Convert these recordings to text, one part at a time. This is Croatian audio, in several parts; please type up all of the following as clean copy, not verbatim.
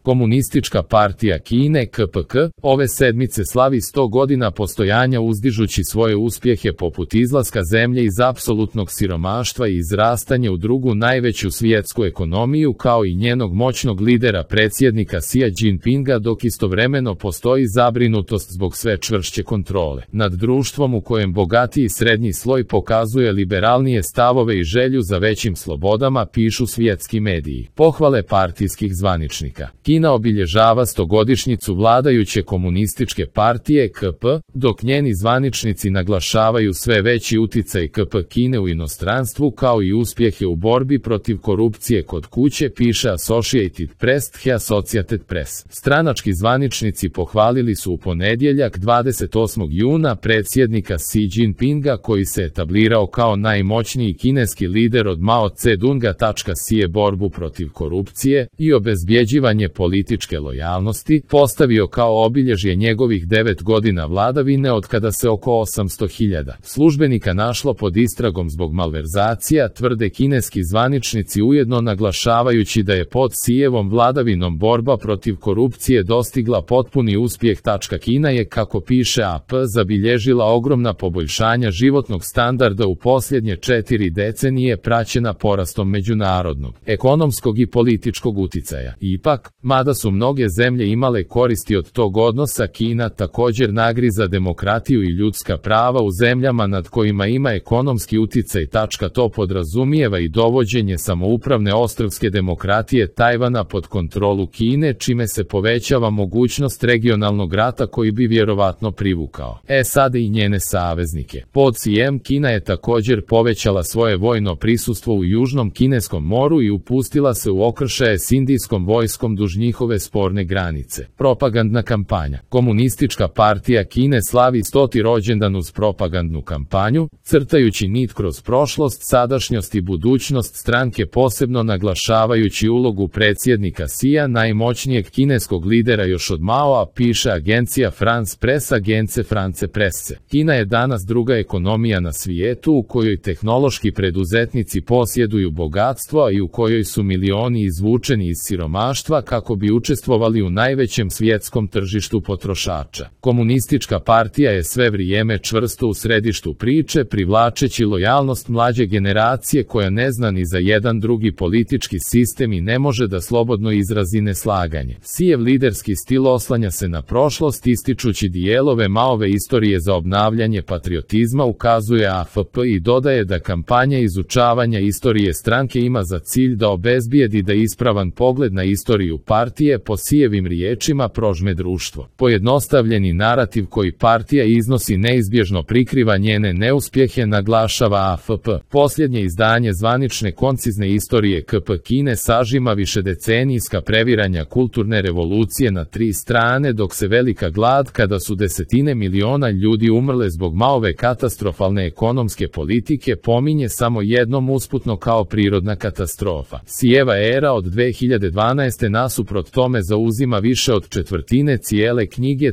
Komunistička partija Kine KPK ove sedmice slavi 100 godina postojanja uzdižući svoje uspjehe poput izlaska zemlje iz apsolutnog siromaštva i izrastanje u drugu najveću svjetsku ekonomiju kao i njenog moćnog lidera predsjednika Xia Jinpinga, dok istovremeno postoji zabrinutost zbog sve čvršće kontrole nad društvom u kojem bogatiji srednji sloj pokazuje liberalnije stavove i želju za većim slobodama, pišu svjetski mediji. Pohvale partijskih zvaničnika. Kina obilježava 100-godišnjicu vladajuće komunističke partije KP, dok njeni zvaničnici naglašavaju sve veći uticaj KP Kine u inostranstvu kao i uspjehe u borbi protiv korupcije kod kuće, piše Associated Press. Associated Press. Stranački zvaničnici pohvalili su u ponedjeljak 28. juna predsjednika Xi Jinpinga, koji se etablirao kao najmoćniji kineski lider od Mao Zedonga. Xi borbu protiv korupcije i obezbjeđivanje političke lojalnosti postavio kao obilježje njegovih 9 godina vladavine, od kada se oko 800.000 službenika našlo pod istragom zbog malverzacija, tvrde kineski zvaničnici, ujedno naglašavajući da je pod Xijevom vladavinom borba protiv korupcije dostigla potpuni uspjeh. Kina je, kako piše AP, zabilježila ogromna poboljšanja životnog standarda u posljednje 4 decenije, praćena porastom međunarodnog, ekonomskog i političkog uticaja. Ipak, mada su mnoge zemlje imale koristi od tog odnosa, Kina također nagriza demokratiju i ljudska prava u zemljama nad kojima ima ekonomski uticaj. To podrazumijeva i dovođenje samoupravne ostrvske demokratije Tajvana pod kontrolu Kine, čime se povećava mogućnost regionalnog rata koji bi vjerovatno privukao SAD i njene saveznike. Pod Xijem Kina je također povećala svoje vojno prisustvo u Južnom Kineskom moru i upustila se u okršaje s indijskom vojskom duž njihove sporne granice. Propagandna kampanja. Komunistička partija Kine slavi 100. rođendan uz propagandnu kampanju, crtajući nit kroz prošlost, sadašnjost i budućnost stranke, posebno naglašavajući ulogu predsjednika Xia, najmoćnijeg kineskog lidera još od Maoa, piše agencija France Press. Agence France Presse. Kina je danas druga ekonomija na svijetu u kojoj tehnološki preduzetnici posjeduju bogatstvo i u kojoj su milioni izvučeni iz siromaštva kako bi učestvovali u najvećem svjetskom tržištu potrošača. Komunistička partija je sve vrijeme čvrsto u središtu priče, privlačeći lojalnost mlađe generacije koja ne zna ni za jedan drugi politički sistem i ne može da slobodno izrazi neslaganje. Xijev liderski stil oslanja se na prošlost, ističući dijelove Maove istorije za obnavljanje patriotizma, ukazuje AFP, i dodaje da kampanja izučavanja istorije stranke ima za cilj da obezbijedi da ispravan pogled na istoriju partije, po Xijevim riječima, prožme društvo. Pojednostavljeni narativ koji partija iznosi neizbježno prikriva njene neuspjehe, naglašava AFP. Posljednje izdanje zvanične koncizne istorije KP Kine sažima višedecenijska previranja kulturne revolucije na 3 strane, dok se velika glad, kada su desetine miliona ljudi umrle zbog Maove katastrofalne ekonomske politike, pominje samo jednom usputno kao prirodna katastrofa. Xijeva era od 2012. nasuprot tome zauzima više od četvrtine cijele knjige.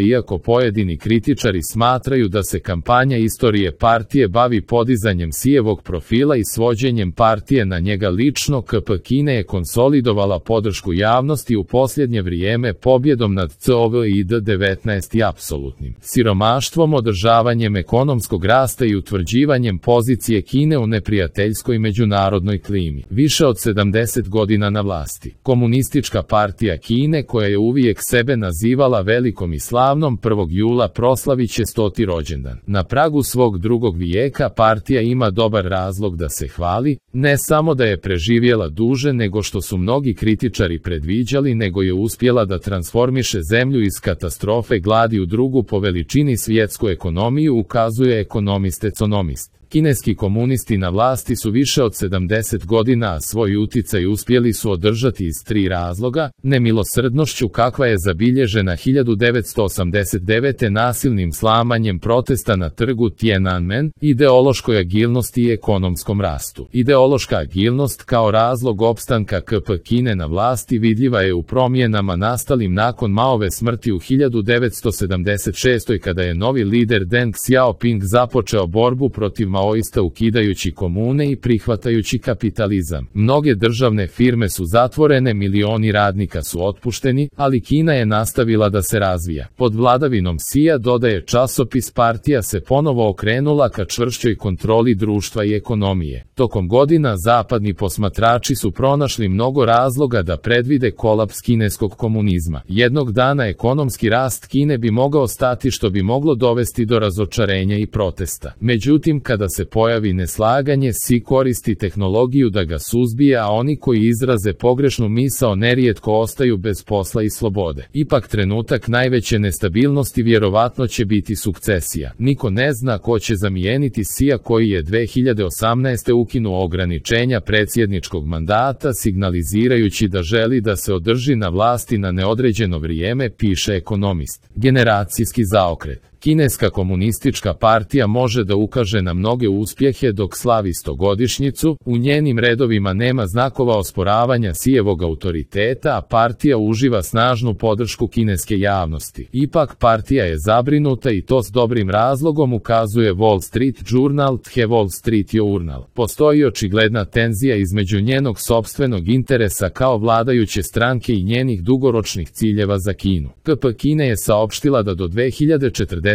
Iako pojedini kritičari smatraju da se kampanja istorije partije bavi podizanjem Xijevog profila i svođenjem partije na njega lično, KP Kine je konsolidovala podršku javnosti u posljednje vrijeme pobjedom nad COVID-19 i apsolutnim siromaštvom, održavanjem ekonomskog rasta i utvrđivanjem pozicije Kine u neprijateljskoj međunarodnoj klimi. Više od 70 godina na vlasti. Komunistička partija Kine, koja je uvijek sebe nazivala velikom i slavnom, 1. jula proslavit će 100. rođendan. Na pragu svog drugog vijeka partija ima dobar razlog da se hvali, ne samo da je preživjela duže nego što su mnogi kritičari predviđali, nego je uspjela da transformiše zemlju iz katastrofe gladi u drugu po veličini svjetsku ekonomiju, ukazuje ekonomist. Kineski komunisti na vlasti su više od 70 godina, a svoj uticaj uspjeli su održati iz 3 razloga: nemilosrdnošću kakva je zabilježena 1989. nasilnim slamanjem protesta na trgu Tiananmen, ideološkoj agilnosti i ekonomskom rastu. Ideološka agilnost kao razlog opstanka KP Kine na vlasti vidljiva je u promjenama nastalim nakon Maove smrti u 1976. kada je novi lider Deng Xiaoping započeo borbu protiv Mao Maoista ukidajući komune i prihvatajući kapitalizam. Mnoge državne firme su zatvorene, milioni radnika su otpušteni, ali Kina je nastavila da se razvija. Pod vladavinom Xija, dodaje časopis, partija se ponovo okrenula ka čvršćoj kontroli društva i ekonomije. Tokom godina zapadni posmatrači su pronašli mnogo razloga da predvide kolaps kineskog komunizma. Jednog dana ekonomski rast Kine bi mogao stati, što bi moglo dovesti do razočarenja i protesta. Međutim, kada se pojavi neslaganje, Xi koristi tehnologiju da ga suzbije, a oni koji izraze pogrešnu misao nerijetko ostaju bez posla i slobode. Ipak trenutak najveće nestabilnosti vjerovatno će biti sukcesija. Niko ne zna ko će zamijeniti Xija, koji je 2018. ukinuo ograničenja predsjedničkog mandata, signalizirajući da želi da se održi na vlasti na neodređeno vrijeme, piše Ekonomist. Generacijski zaokret. Kineska komunistička partija može da ukaže na mnoge uspjehe dok slavi 100-godišnjicu, u njenim redovima nema znakova osporavanja Xijevog autoriteta, a partija uživa snažnu podršku kineske javnosti. Ipak partija je zabrinuta, i to s dobrim razlogom, ukazuje Wall Street Journal. The Wall Street Journal. Postoji očigledna tenzija između njenog sopstvenog interesa kao vladajuće stranke i njenih dugoročnih ciljeva za Kinu. KP Kine je saopštila da do 2049.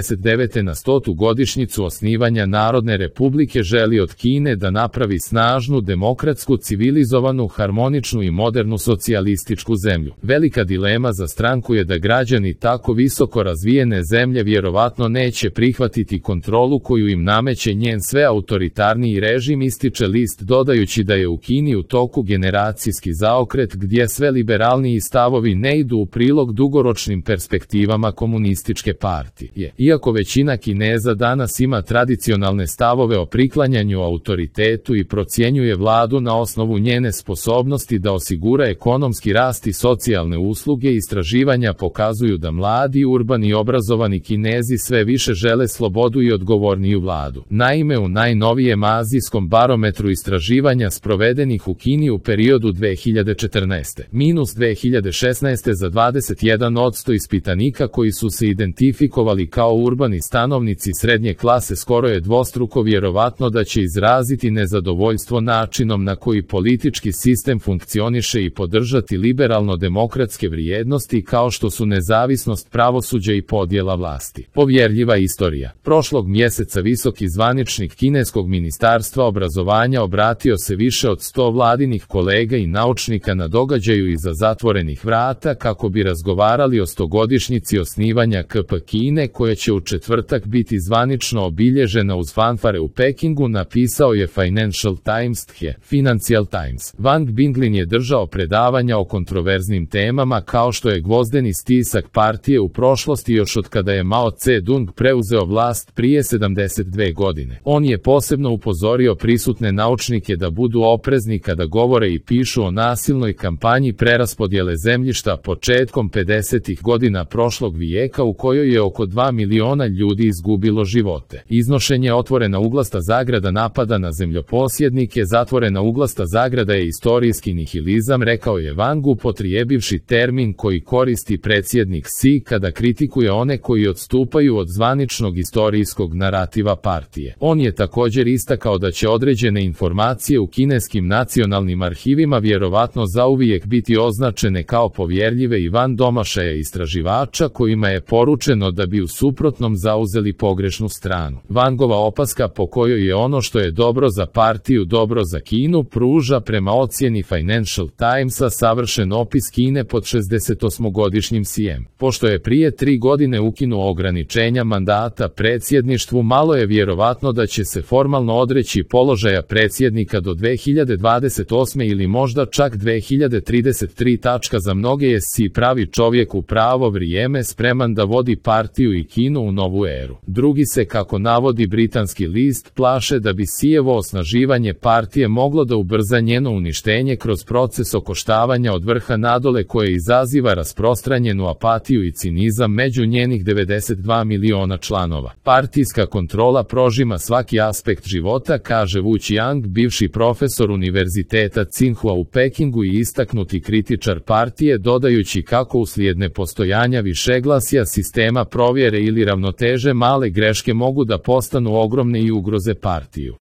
na 100. godišnjicu osnivanja Narodne republike želi od Kine da napravi snažnu, demokratsku, civilizovanu, harmoničnu i modernu socijalističku zemlju. Velika dilema za stranku je da građani tako visoko razvijene zemlje vjerovatno neće prihvatiti kontrolu koju im nameće njen sve autoritarniji režim, ističe list, dodajući da je u Kini u toku generacijski zaokret gdje sve liberalniji stavovi ne idu u prilog dugoročnim perspektivama komunističke partije. Iako većina Kineza danas ima tradicionalne stavove o priklanjanju autoritetu i procjenjuje vladu na osnovu njene sposobnosti da osigura ekonomski rast i socijalne usluge, istraživanja pokazuju da mladi, urbani i obrazovani Kinezi sve više žele slobodu i odgovorniju vladu. Naime, u najnovijem azijskom barometru istraživanja sprovedenih u Kini u periodu 2014-2016 za 21% ispitanika koji su se identifikovali kao urbani stanovnici srednje klase skoro je dvostruko vjerovatno da će izraziti nezadovoljstvo načinom na koji politički sistem funkcioniše i podržati liberalno-demokratske vrijednosti kao što su nezavisnost pravosuđa i podjela vlasti. Povjerljiva istorija. Prošlog mjeseca visoki zvaničnik kineskog ministarstva obrazovanja obratio se više od 100 vladinih kolega i naučnika na događaju iza zatvorenih vrata kako bi razgovarali o 100-godišnjici osnivanja KP Kine, koja će u četvrtak biti zvanično obilježena uz fanfare u Pekingu, napisao je Financial Times. Financial Times. Wang Binglin je držao predavanja o kontroverznim temama kao što je gvozdeni stisak partije u prošlosti još od kada je Mao Tse-dung preuzeo vlast prije 72 godine. On je posebno upozorio prisutne naučnike da budu oprezni kada govore i pišu o nasilnoj kampanji preraspodjele zemljišta početkom 50. godina prošlog vijeka u kojoj je oko 2 miliona ljudi izgubilo živote. Iznošenje otvorena uglasta zagrada napada na zemljoposjednike. Zatvorena uglasta zagrada je istorijski nihilizam, rekao je Wang, upotrijebivši termin koji koristi predsjednik Xi kada kritikuje one koji odstupaju od zvaničnog istorijskog narativa partije. On je također istakao da će određene informacije u kineskim nacionalnim arhivima vjerovatno zauvijek biti označene kao povjerljive i van domašaja istraživača kojima je poručeno da bi u suprotnom zauzeli pogrešnu stranu. Wangova opaska po kojoj je ono što je dobro za partiju dobro za Kinu pruža prema ocjeni Financial Timesa savršen opis Kine pod 68-godišnjim Xijem. Pošto je prije 3 godine ukinuo ograničenja mandata predsjedništvu, malo je vjerovatno da će se formalno odreći položaja predsjednika do 2028. ili možda čak 2033. Za mnoge je Xi pravi čovjek u pravo vrijeme, spreman da vodi partiju i Kinu u novu eru. Drugi se, kako navodi britanski list, plaše da bi Xijevo osnaživanje partije moglo da ubrza njeno uništenje kroz proces okoštavanja od vrha nadole koje izaziva rasprostranjenu apatiju i cinizam među njenih 92 miliona članova. Partijska kontrola prožima svaki aspekt života, kaže Wu Qiang, bivši profesor univerziteta Tsinghua u Pekingu i istaknuti kritičar partije, dodajući kako uslijed nepostojanja višeglasja, sistema provjere ili ili ravnoteže male greške mogu da postanu ogromne i ugroze partiju.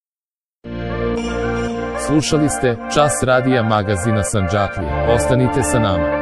Slušali ste Čas radija magazina Sandžaklija. Ostanite sa nama.